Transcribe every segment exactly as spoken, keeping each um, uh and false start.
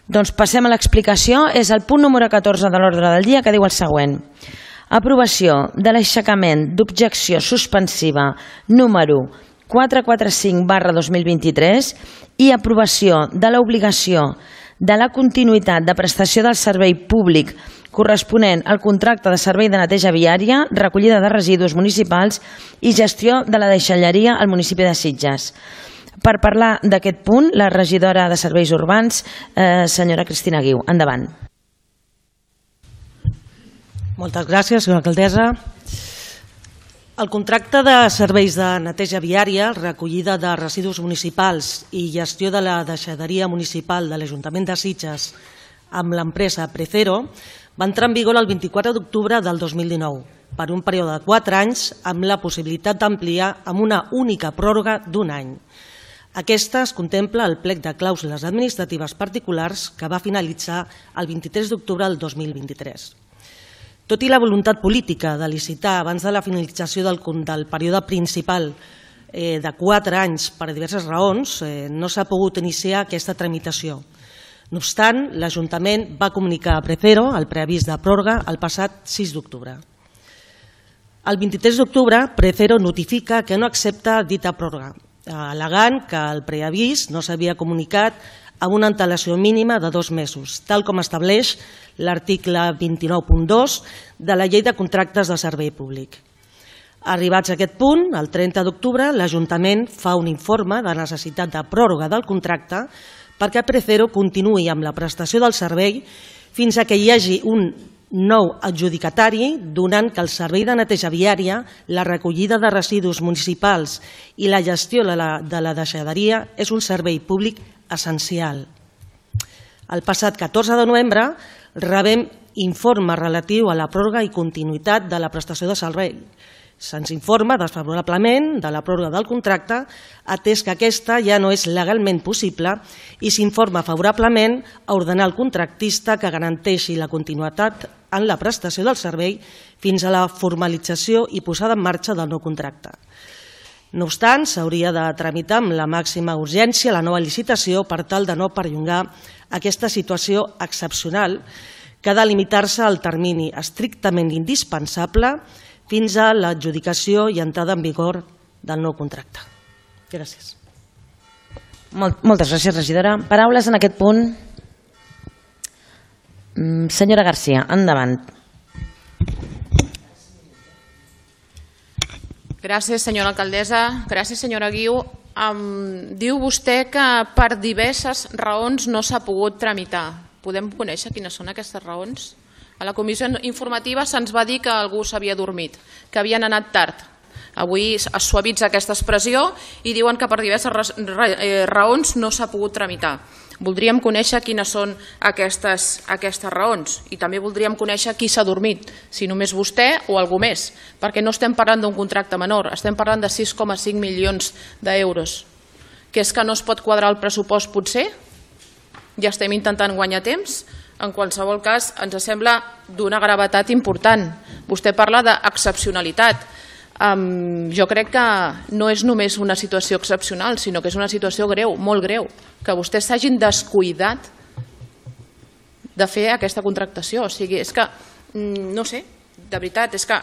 Doncs passem a l'explicació. És el punt número catorze de l'ordre del dia, que diu el següent. Aprovació de l'aixecament d'objecció suspensiva número quatre cents i quaranta cinc barra dos mil vint-i-tres i aprovació de l'obligació de la continuïtat de prestació del servei públic corresponent al contracte de servei de neteja viària, recollida de residus municipals i gestió de la deixalleria al municipi de Sitges. Per parlar d'aquest punt, la regidora de Serveis Urbans, eh, senyora Cristina Guiu. Endavant. Moltes gràcies, senyora alcaldessa. El contracte de serveis de neteja viària, recollida de residus municipals i gestió de la deixalleria municipal de l'Ajuntament de Sitges amb l'empresa Precero va entrar en vigor el vint-i-quatre d'octubre del dos mil dinou per un període de quatre anys amb la possibilitat d'ampliar amb una única pròrroga d'un any. Aquesta es contempla al plec de clàusules administratives particulars que va finalitzar el vint-i-tres d'octubre del dos mil vint-i-tres. Tot i la voluntat política de licitar abans de la finalització del, del període principal eh, de quatre anys per diverses raons, eh, no s'ha pogut iniciar aquesta tramitació. No obstant, l'Ajuntament va comunicar a Precero el preavís de pròrroga el passat sis d'octubre. El vint-i-tres d'octubre, Precero notifica que no accepta dita pròrroga, al·legant que el preavís no s'havia comunicat amb una antelació mínima de dos mesos, tal com estableix l'article vint-i-nou punt dos de la Llei de Contractes de Servei Públic. Arribats a aquest punt, el trenta d'octubre, l'Ajuntament fa un informe de necessitat de pròrroga del contracte perquè Precero continuï amb la prestació del servei fins a que hi hagi un nou adjudicatari, donant que el servei de neteja viària, la recollida de residus municipals i la gestió de la, de la deixalleria és un servei públic essencial. El passat catorze de novembre rebem informe relatiu a la pròrroga i continuïtat de la prestació de servei. Se'ns informa desfavorablement de la pròrroga del contracte, atès que aquesta ja no és legalment possible, i s'informa favorablement a ordenar al contractista que garanteixi la continuïtat en la prestació del servei fins a la formalització i posada en marxa del nou contracte. No obstant, s'hauria de tramitar amb la màxima urgència la nova licitació per tal de no perllongar aquesta situació excepcional que ha de limitar-se al termini estrictament indispensable fins a l'adjudicació i entrada en vigor del nou contracte. Gràcies. Moltes gràcies, regidora. Paraules en aquest punt. Senyora García, endavant. Gràcies, senyora alcaldessa. Gràcies, senyora Guiu. Um, diu vostè que per diverses raons no s'ha pogut tramitar. Podem conèixer quines són aquestes raons? A la comissió informativa se'ns va dir que algú s'havia dormit, que havien anat tard. Avui es suavitza aquesta expressió i diuen que per diverses raons no s'ha pogut tramitar. Voldríem conèixer quines són aquestes, aquestes raons i també voldríem conèixer qui s'ha dormit, si només vostè o algú més, perquè no estem parlant d'un contracte menor, estem parlant de sis coma cinc milions d'euros. Que és que no es pot quadrar el pressupost potser? Ja estem intentant guanyar temps? En qualsevol cas, ens sembla d'una gravetat important. Vostè parla d'excepcionalitat. Um, jo crec que no és només una situació excepcional, sinó que és una situació greu, molt greu, que vostès s'hagin descuidat de fer aquesta contractació. O sigui, és que, no sé, de veritat, és que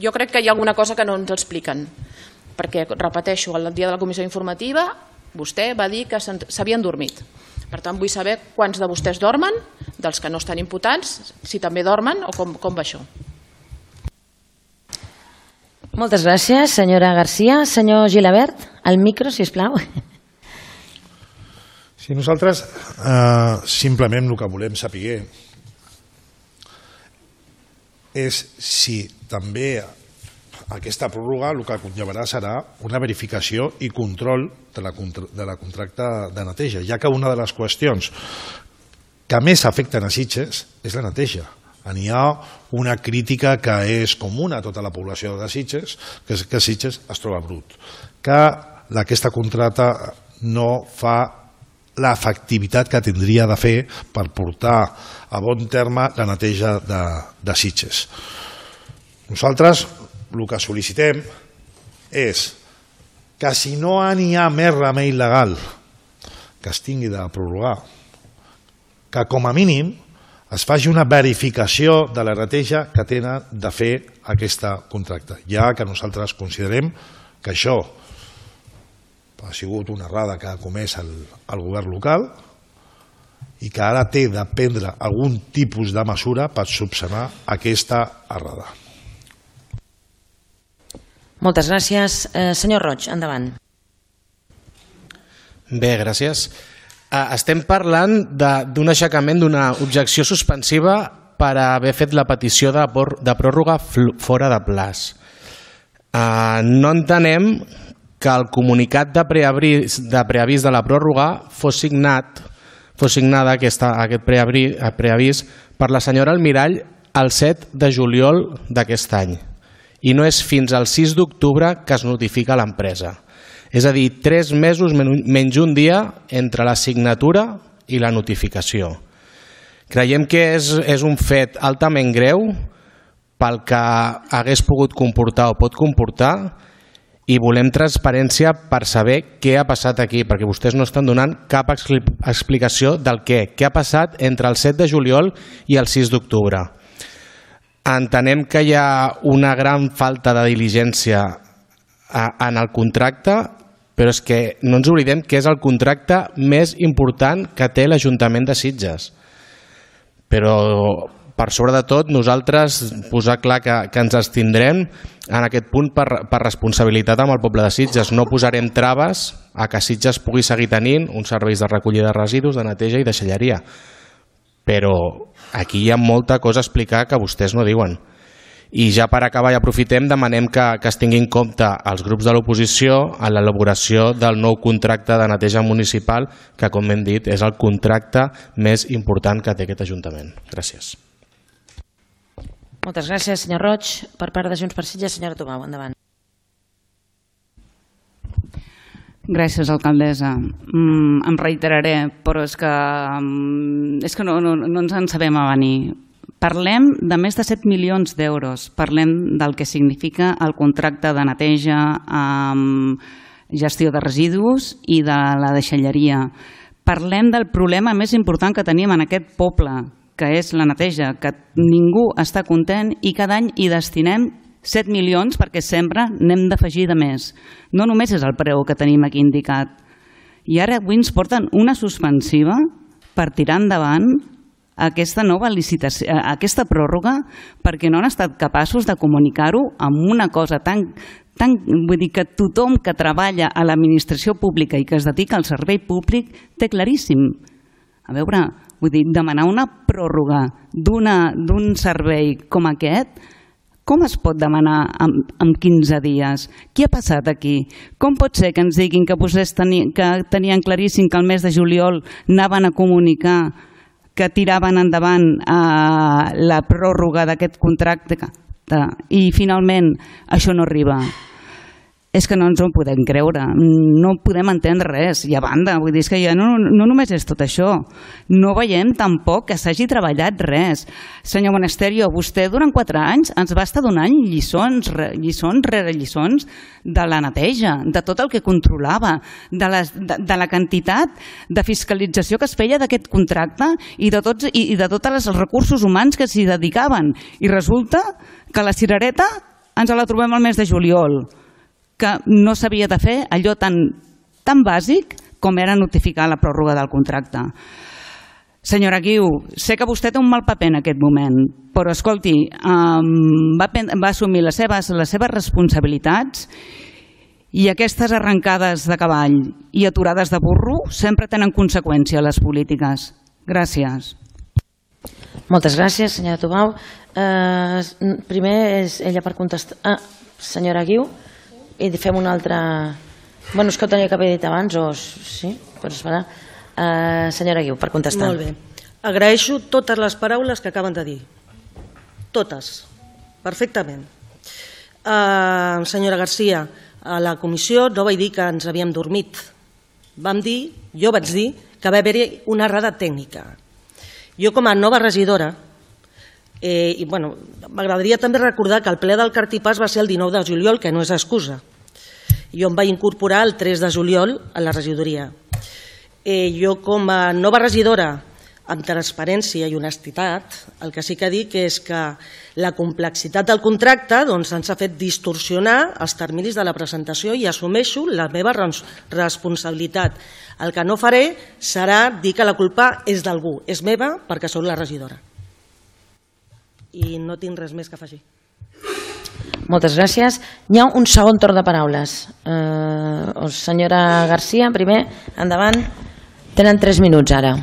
jo crec que hi ha alguna cosa que no ens expliquen. Perquè, repeteixo, el dia de la comissió informativa vostè va dir que s'havien dormit. Per tant, vull saber quants de vostès dormen, dels que no estan imputats, si també dormen o com, com va això. Moltes gràcies, senyora García. Senyor Gilabert, al micro, sisplau. Sí, nosaltres eh, simplement el que volem saber és si també aquesta pròrroga el que conllevarà serà una verificació i control de la, de la contracte de neteja, ja que una de les qüestions que més afecten a Sitges és la neteja. N'hi ha una crítica que és comuna a tota la població de Sitges, que és que Sitges es troba brut, que aquesta contracte no fa l'efectivitat que tindria de fer per portar a bon terme la neteja de, de Sitges. Nosaltres el que sol·licitem és que si no n'hi ha més remei legal que es tingui de prorrogar, que com a mínim es faci una verificació de la neteja que tenen de fer aquesta contracte, ja que nosaltres considerem que això ha sigut una errada que ha comès el, el govern local i que ara té de prendre algun tipus de mesura per subsanar aquesta errada. Moltes gràcies. Eh, senyor Roig, endavant. Bé, gràcies. Eh, estem parlant d'un aixecament d'una objecció suspensiva per haver fet la petició de, de pròrroga fora de plaç. Eh, no entenem que el comunicat de preavís de, preavís de la pròrroga fos signat fos signada aquesta, aquest preavís, preavís per la senyora Almirall el set de juliol d'aquest any i no és fins al sis d'octubre que es notifica a l'empresa. És a dir, tres mesos menys un dia entre la signatura i la notificació. Creiem que és, és un fet altament greu pel que hagués pogut comportar o pot comportar i volem transparència per saber què ha passat aquí, perquè vostès no estan donant cap explicació del què. Què ha passat entre el set de juliol i el sis d'octubre. Entenem que hi ha una gran falta de diligència en el contracte, però és que no ens oblidem que és el contracte més important que té l'Ajuntament de Sitges. Però per sobre de tot, nosaltres posar clar que, que ens abstindrem en aquest punt per, per responsabilitat amb el poble de Sitges. No posarem traves a que Sitges pugui seguir tenint uns serveis de recollida de residus, de neteja i deixalleria. Però aquí hi ha molta cosa a explicar que vostès no diuen. I ja per acabar i aprofitem, demanem que, que es tingui en compte els grups de l'oposició en l'elaboració del nou contracte de neteja municipal, que com hem dit és el contracte més important que té aquest Ajuntament. Gràcies. Moltes gràcies, senyor Roig. Per part de Junts per Sitges, senyora Tubau, endavant. Gràcies, alcaldessa. Mm, em reiteraré, però és que, mm, és que no, no, no ens en sabem a venir. Parlem de més de set milions d'euros. Parlem del que significa el contracte de neteja amb gestió de residus i de la deixalleria. Parlem del problema més important que tenim en aquest poble, que és la neteja, que ningú està content i cada any hi destinem set milions perquè sempre n'hem d'afegir de més. No només és el preu que tenim aquí indicat. I ara avui ens porten una suspensiva per tirar endavant aquesta nova licitació, aquesta pròrroga, perquè no han estat capaços de comunicar-ho amb una cosa tan, tan... Vull dir que tothom que treballa a l'administració pública i que es dedica al servei públic té claríssim. A veure, vull dir, demanar una pròrroga d'un servei com aquest, com es pot demanar en, en quinze dies? Què ha passat aquí? Com pot ser que ens diguin que vostès teni, que tenien claríssim que el mes de juliol anaven a comunicar que tiraven endavant eh, la pròrroga d'aquest contracte i finalment això no arriba? És que no ens ho podem creure, no podem entendre res. I a banda, vull dir que ja no, no només és tot això, no veiem tampoc que s'hagi treballat res. Senyor Monasterio, vostè durant quatre anys ens va estar donant lliçons, lliçons rere lliçons de la neteja, de tot el que controlava, de, les, de, de la quantitat de fiscalització que es feia d'aquest contracte i de tots i, i de tots els recursos humans que s'hi dedicaven. I resulta que la cirereta ens la trobem al mes de juliol, que no s'havia de fer allò tan, tan bàsic com era notificar la pròrroga del contracte. Senyora Guiu, sé que vostè té un mal paper en aquest moment, però escolti, um, va, va assumir les seves, les seves responsabilitats i aquestes arrencades de cavall i aturades de burro sempre tenen conseqüència a les polítiques. Gràcies. Moltes gràcies, senyora Tubau. Uh, primer és ella per contestar. Ah, senyora Guiu. I fem una altra... Bueno, és que ho tenia que haver dit abans, o... Sí, però es farà. Uh, senyora Guiu, per contestar. Molt bé. Agraeixo totes les paraules que acaben de dir. Totes. Perfectament. Uh, senyora Garcia, a la comissió no vaig dir que ens havíem dormit. Vam dir, jo vaig dir, que va haver-hi una errada tècnica. Jo, com a nova regidora, Eh, i bueno, m'agradaria també recordar que el ple del Cartipàs va ser el dinou de juliol, que no és excusa. Jo em vaig incorporar el tres de juliol a la regidoria. Eh, jo, com a nova regidora amb transparència i honestitat. El que sí que dic és que la complexitat del contracte doncs, ens ha fet distorsionar els terminis de la presentació i assumeixo la meva responsabilitat. El que no faré serà dir que la culpa és d'algú, és meva perquè soc la regidora. I no tinc res més que afegir. Moltes gràcies. Hi ha un segon torn de paraules. Eh, senyora Garcia, primer, endavant. Tenen tres minuts ara.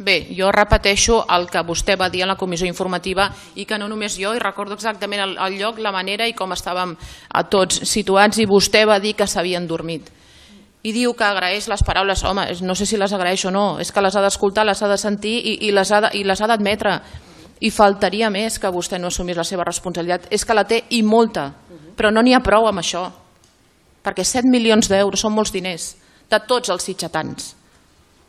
Bé, jo repeteixo el que vostè va dir a la comissió informativa i que no només jo, i recordo exactament el, el lloc, la manera i com estàvem a tots situats, i vostè va dir que s'havien dormit. I diu que agraeix les paraules. Home, no sé si les agraeix o no, és que les ha d'escoltar, les ha de sentir i, i les ha d'admetre. I faltaria més que vostè no assumís la seva responsabilitat. És que la té i molta, però no n'hi ha prou amb això, perquè set milions d'euros són molts diners de tots els sitgetans.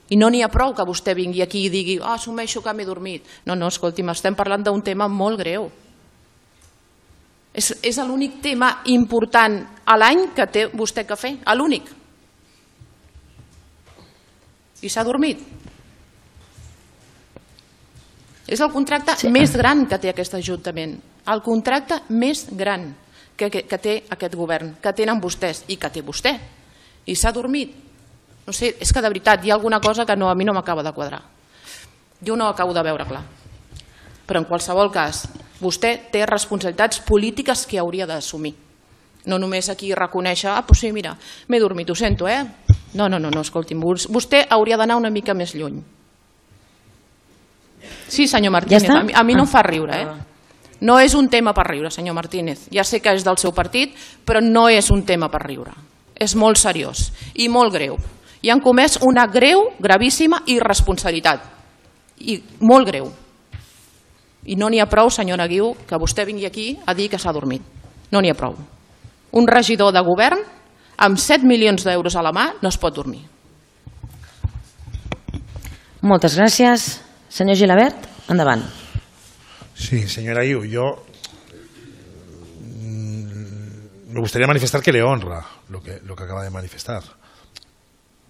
I no n'hi ha prou que vostè vingui aquí i digui ah, assumeixo que m'he dormit. No, no, escolti'm, estem parlant d'un tema molt greu. És, és l'únic tema important a l'any que té vostè que fer, l'únic. I s'ha dormit. És el contracte sí. més gran que té aquest Ajuntament, el contracte més gran que, que, que té aquest govern, que tenen vostès i que té vostè. I s'ha dormit. No sé, és que de veritat hi ha alguna cosa que no, a mi no m'acaba de quadrar. Jo no ho acabo de veure clar. Però en qualsevol cas, vostè té responsabilitats polítiques que hauria d'assumir. No només aquí reconèixer, ah, doncs sí, mira, m'he dormit, ho sento, eh? No, no, no, no, escolti'm, vostè hauria d'anar una mica més lluny. Sí, senyor Martínez, ja a mi, a mi no em fa riure, eh? No és un tema per riure, senyor Martínez. Ja sé que és del seu partit, però no és un tema per riure. És molt seriós i molt greu. I han comès una greu, gravíssima irresponsabilitat. I molt greu. I no n'hi ha prou, senyora Guiu, que vostè vingui aquí a dir que s'ha dormit. No n'hi ha prou. Un regidor de govern amb set milions d'euros a la mà no es pot dormir. Moltes gràcies. Senyor Gilabert, endavant. Sí, señora Guiu, yo me gustaría manifestar que le honra lo que, lo que acaba de manifestar.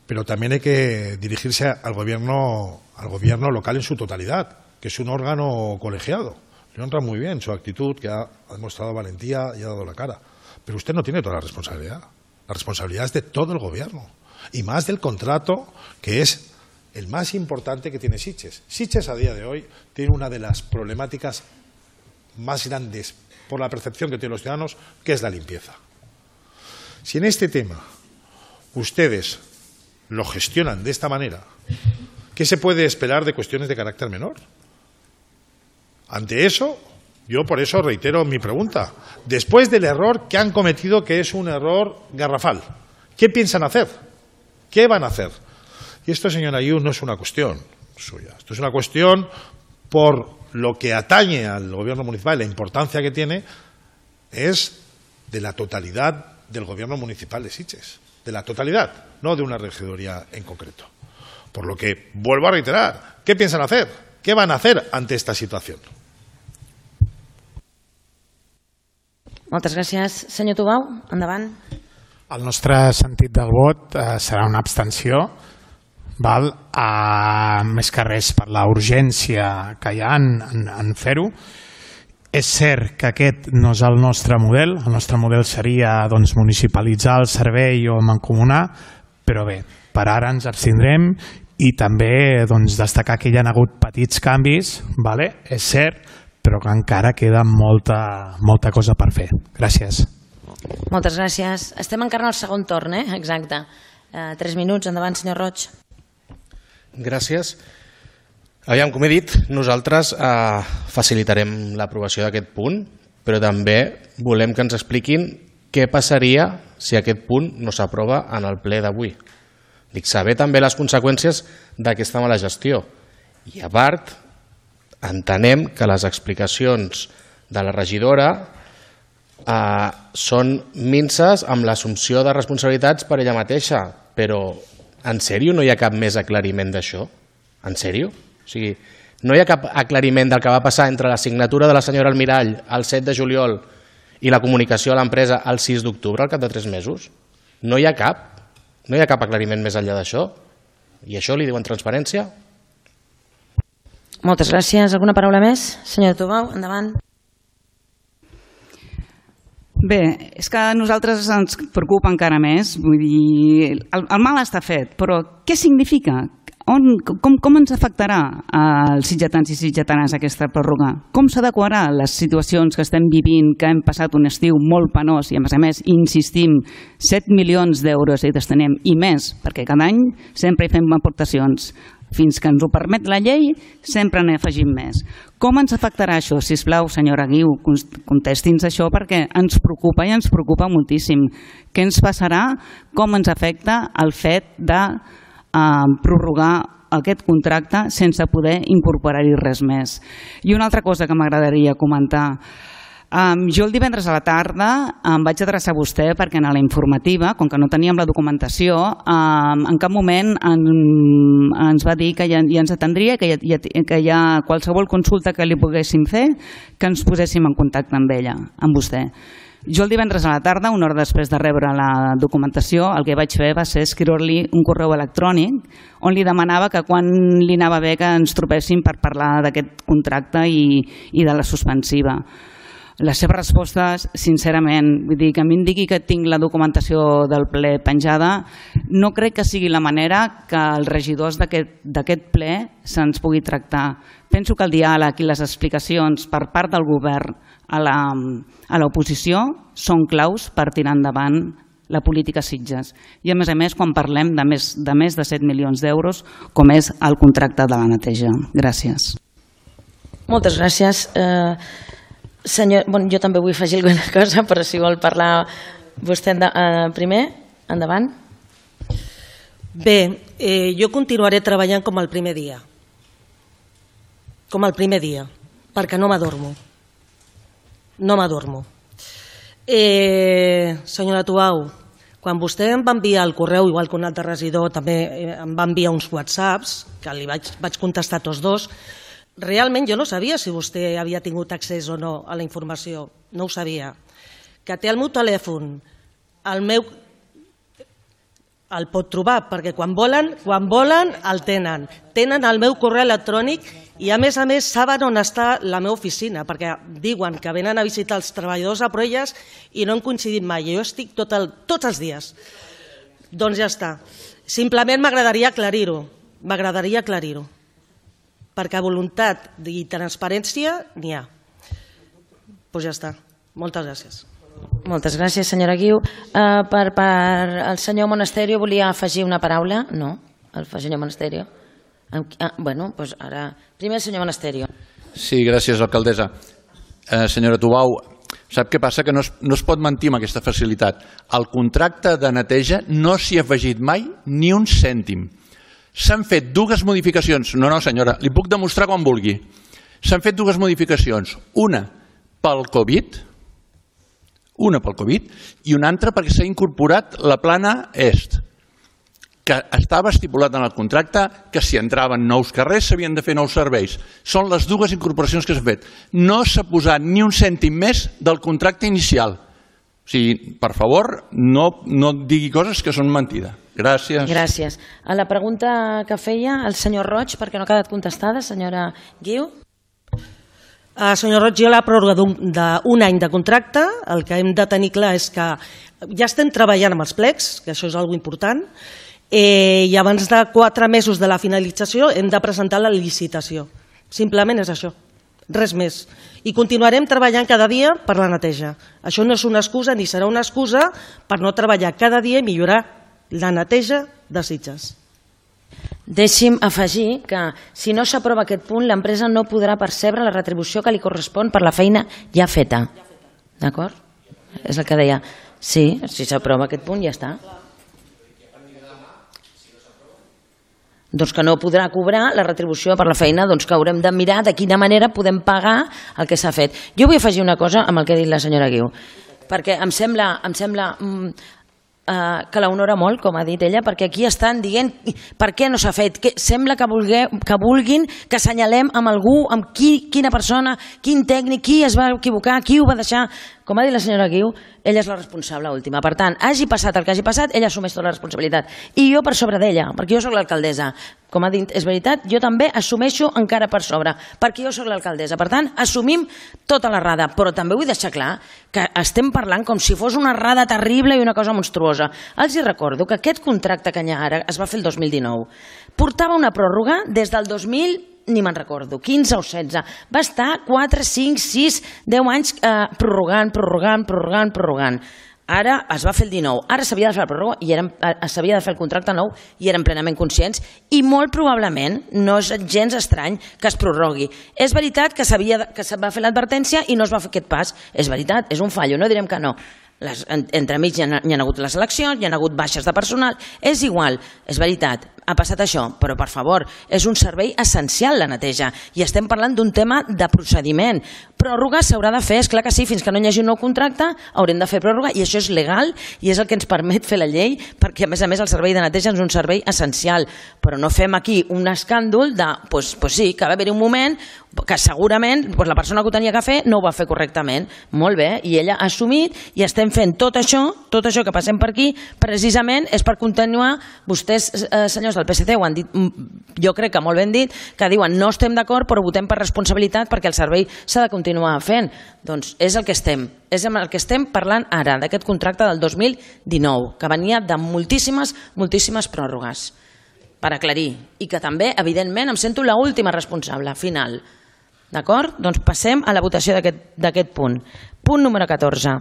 Pero también hay que dirigirse al gobierno, al gobierno local en su totalidad, que es un órgano colegiado. Le honra muy bien su actitud, que ha, ha demostrado valentía y ha dado la cara. Pero usted no tiene toda la responsabilidad. La responsabilidad es de todo el gobierno. Y más del contrato, que es el más importante que tiene Sitges. Sitges a día de hoy tiene una de las problemáticas más grandes por la percepción que tienen los ciudadanos, que es la limpieza. Si en este tema ustedes lo gestionan de esta manera, ¿qué se puede esperar de cuestiones de carácter menor? Ante eso, yo por eso reitero mi pregunta. Después del error que han cometido, que es un error garrafal, ¿qué piensan hacer? ¿Qué van a hacer? Y esto, señora Guiu, no es una cuestión suya. Esto es una cuestión por lo que atañe al gobierno municipal, la importancia que tiene, es de la totalidad del gobierno municipal de Sitges. De la totalidad, no de una regidoría en concreto. Por lo que, vuelvo a reiterar, ¿qué piensan hacer? ¿Qué van a hacer ante esta situación? Moltes gràcies. Senyor Tubau, endavant. El nostre sentit del vot eh, serà una abstenció, val? Eh, més que res per la urgència que hi ha en, en, en fer-ho. És cert que aquest no és el nostre model, el nostre model seria doncs, municipalitzar el servei o mancomunar, però bé, per ara ens abstindrem i també doncs, destacar que hi ha hagut petits canvis, vale? És cert, però que encara queda molta, molta cosa per fer. Gràcies. Moltes gràcies. Estem encara al segon torn, eh? Exacte. Uh, tres minuts, endavant, senyor Roig. Gràcies. Aviam, com he dit, nosaltres eh, facilitarem l'aprovació d'aquest punt, però també volem que ens expliquin què passaria si aquest punt no s'aprova en el ple d'avui. Dic, saber també les conseqüències d'aquesta mala gestió. I a part, entenem que les explicacions de la regidora eh, són minces amb l'assumpció de responsabilitats per ella mateixa, però en sèrio no hi ha cap més aclariment d'això? En sèrio? O sigui, no hi ha cap aclariment del que va passar entre la signatura de la senyora Almirall el set de juliol i la comunicació a l'empresa el sis d'octubre, al cap de tres mesos? No hi ha cap? No hi ha cap aclariment més enllà d'això? I això li diuen transparència? Moltes gràcies. Alguna paraula més? Senyora Tubau, endavant. Bé, és que a nosaltres ens preocupa encara més. Vull dir, el, el mal està fet, però què significa? On, com, com ens afectarà als sitgetans i sitgetanes aquesta pròrroga? Com s'adequarà a les situacions que estem vivint, que hem passat un estiu molt penós i a més a més insistim, set milions d'euros hi destinem i més, perquè cada any sempre hi fem aportacions. Fins que ens ho permet la llei, sempre n'hi afegim més. Com ens afectarà això? Sisplau, senyora Guiu, contesti'ns això perquè ens preocupa i ens preocupa moltíssim. Què ens passarà? Com ens afecta el fet de eh, prorrogar aquest contracte sense poder incorporar-hi res més? I una altra cosa que m'agradaria comentar. Um, jo el divendres a la tarda em vaig adreçar a vostè perquè en la informativa, com que no teníem la documentació, um, en cap moment en, ens va dir que ja, ja ens atendria, que ja, que ja qualsevol consulta que li poguéssim fer, que ens poséssim en contacte amb ella, amb vostè. Jo el divendres a la tarda, una hora després de rebre la documentació, el que vaig fer va ser escriure-li un correu electrònic on li demanava que quan li anava bé que ens trobéssim per parlar d'aquest contracte i, i de la suspensiva. Les seves respostes, sincerament, vull dir que a mi em digui que tinc la documentació del ple penjada, no crec que sigui la manera que els regidors d'aquest ple se'ns pugui tractar. Penso que el diàleg i les explicacions per part del govern a l'oposició són claus per tirar endavant la política Sitges. I a més a més quan parlem de més de, més de set milions d'euros, com és el contracte de la neteja. Gràcies. Moltes gràcies. Eh... Senyor, bueno, jo també vull afegir alguna cosa, però si vol parlar vostè enda, eh, primer, endavant. Bé, eh, jo continuaré treballant com el primer dia. Com el primer dia, perquè no m'adormo. No m'adormo. Eh, senyora Tubau, quan vostè em va enviar el correu, igual que un altre regidor, també em va enviar uns whatsapps, que li vaig, vaig contestar tots dos. Realment jo no sabia si vostè havia tingut accés o no a la informació, no ho sabia. Que té el meu telèfon, el meu... el pot trobar, perquè quan volen, quan volen el tenen. Tenen el meu correu electrònic i a més a més saben on està la meva oficina, perquè diuen que venen a visitar els treballadors a Proelles i no han coincidit mai. Jo estic tot el, tots els dies. Doncs ja està. Simplement m'agradaria aclarir-ho. M'agradaria aclarir-ho. Perquè voluntat i transparència n'hi ha. Doncs ja està. Moltes gràcies. Moltes gràcies, senyora Guiu. Uh, per, per el senyor Monasterio volia afegir una paraula? No, el senyor Monasterio. Ah, bueno, doncs ara... Primer el senyor Monasterio. Sí, gràcies, alcaldessa. Eh, senyora Tubau, sap què passa? Que no es, no es pot mentir amb aquesta facilitat. Al contracte de neteja no s'hi ha afegit mai ni un cèntim. S'han fet dues modificacions. No, no, senyora, li puc demostrar quan vulgui. S'han fet dues modificacions. Una pel Covid, una pel Covid, i una altra perquè s'ha incorporat la plana est, que estava estipulat en el contracte que si entraven nous carrers s'havien de fer nous serveis. Són les dues incorporacions que s'han fet. No s'ha posat ni un cèntim més del contracte inicial. O sigui, per favor, no, no digui coses que són mentida. Gràcies. Gràcies. A la pregunta que feia el senyor Roig, perquè no ha quedat contestada, senyora Guiu. Uh, senyor Roig, jo la pròrroga d'un any de contracte, el que hem de tenir clar és que ja estem treballant amb els plecs, que això és una cosa important, eh, i abans de quatre mesos de la finalització hem de presentar la licitació. Simplement és això, res més. I continuarem treballant cada dia per la neteja. Això no és una excusa ni serà una excusa per no treballar cada dia i millorar la neteja de Sitges. Deixi'm afegir que si no s'aprova aquest punt, l'empresa no podrà percebre la retribució que li correspon per la feina ja feta. D'acord? És el que deia. Sí, si s'aprova aquest punt ja està. Doncs que no podrà cobrar la retribució per la feina, doncs que haurem de mirar de quina manera podem pagar el que s'ha fet. Jo vull afegir una cosa amb el que ha dit la senyora Guiu, perquè em sembla, em sembla mm, uh, que l'honora molt, com ha dit ella, perquè aquí estan dient per què no s'ha fet. Que sembla que, vulgué, que vulguin que assenyalem amb algú, amb qui, quina persona, quin tècnic, qui es va equivocar, qui ho va deixar. com ha dit la senyora Guiu, ella és la responsable última. Per tant, hagi passat el que hagi passat, ella assumeix tota la responsabilitat. I jo per sobre d'ella, perquè jo sóc l'alcaldessa. Com ha dit, és veritat, jo també assumeixo encara per sobre, perquè jo sóc l'alcaldessa. Per tant, assumim tota l'errada, però també vull deixar clar que estem parlant com si fos una errada terrible i una cosa monstruosa. Els hi recordo que aquest contracte que hi ha ara es va fer el dos mil dinou. Portava una pròrroga des del dos mil, ni me'n recordo, quinze o setze. Va estar quatre, cinc, sis, deu anys eh, prorrogant, prorrogant, prorrogant, prorrogant. Ara es va fer el dinou, ara s'havia de fer la pròrroga i s'havia de fer el contracte nou i eren plenament conscients i molt probablement no és gens estrany que es prorrogui. És veritat que s'havia que se va fer l'advertència i no es va fer aquest pas, és veritat, és un fallo, no direm que no. Les, en, entremig hi ha, hi ha hagut les eleccions, hi ha hagut baixes de personal, és igual, és veritat, ha passat això, però per favor, és un servei essencial la neteja i estem parlant d'un tema de procediment. Pròrroga s'haurà de fer, és clar que sí, fins que no hi hagi un nou contracte haurem de fer pròrroga i això és legal i és el que ens permet fer la llei perquè a més a més el servei de neteja és un servei essencial, però no fem aquí un escàndol de, pues, pues sí, que va haver-hi un moment que segurament pues, la persona que ho tenia que fer no ho va fer correctament. Molt bé, i ella ha assumit i estem fent tot això, tot això que passem per aquí, precisament és per continuar, vostès, eh, senyors del P S C, ho han dit, jo crec que molt ben dit, que diuen no estem d'acord però votem per responsabilitat perquè el servei s'ha de continuar fent. Doncs és el que estem, és el que estem parlant ara, d'aquest contracte del dos mil dinou, que venia de moltíssimes, moltíssimes pròrrogues, per aclarir, i que també, evidentment, em sento l'última responsable, final. D'acord? Doncs passem a la votació d'aquest punt. Punt número catorze.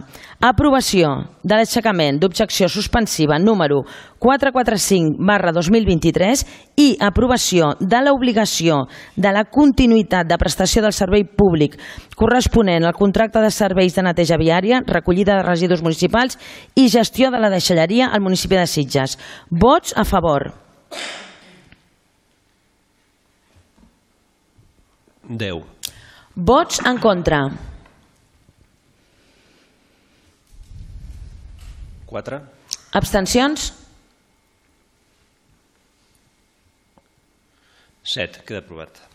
Aprovació de l'aixecament d'objecció suspensiva número quatre cents quaranta-cinc barra dos mil vint-i-tres i aprovació de l'obligació de la continuïtat de prestació del servei públic corresponent al contracte de serveis de neteja viària, recollida de residus municipals i gestió de la deixalleria al municipi de Sitges. Vots a favor. deu. Vots en contra. quatre. Abstencions? set. Queda aprovat.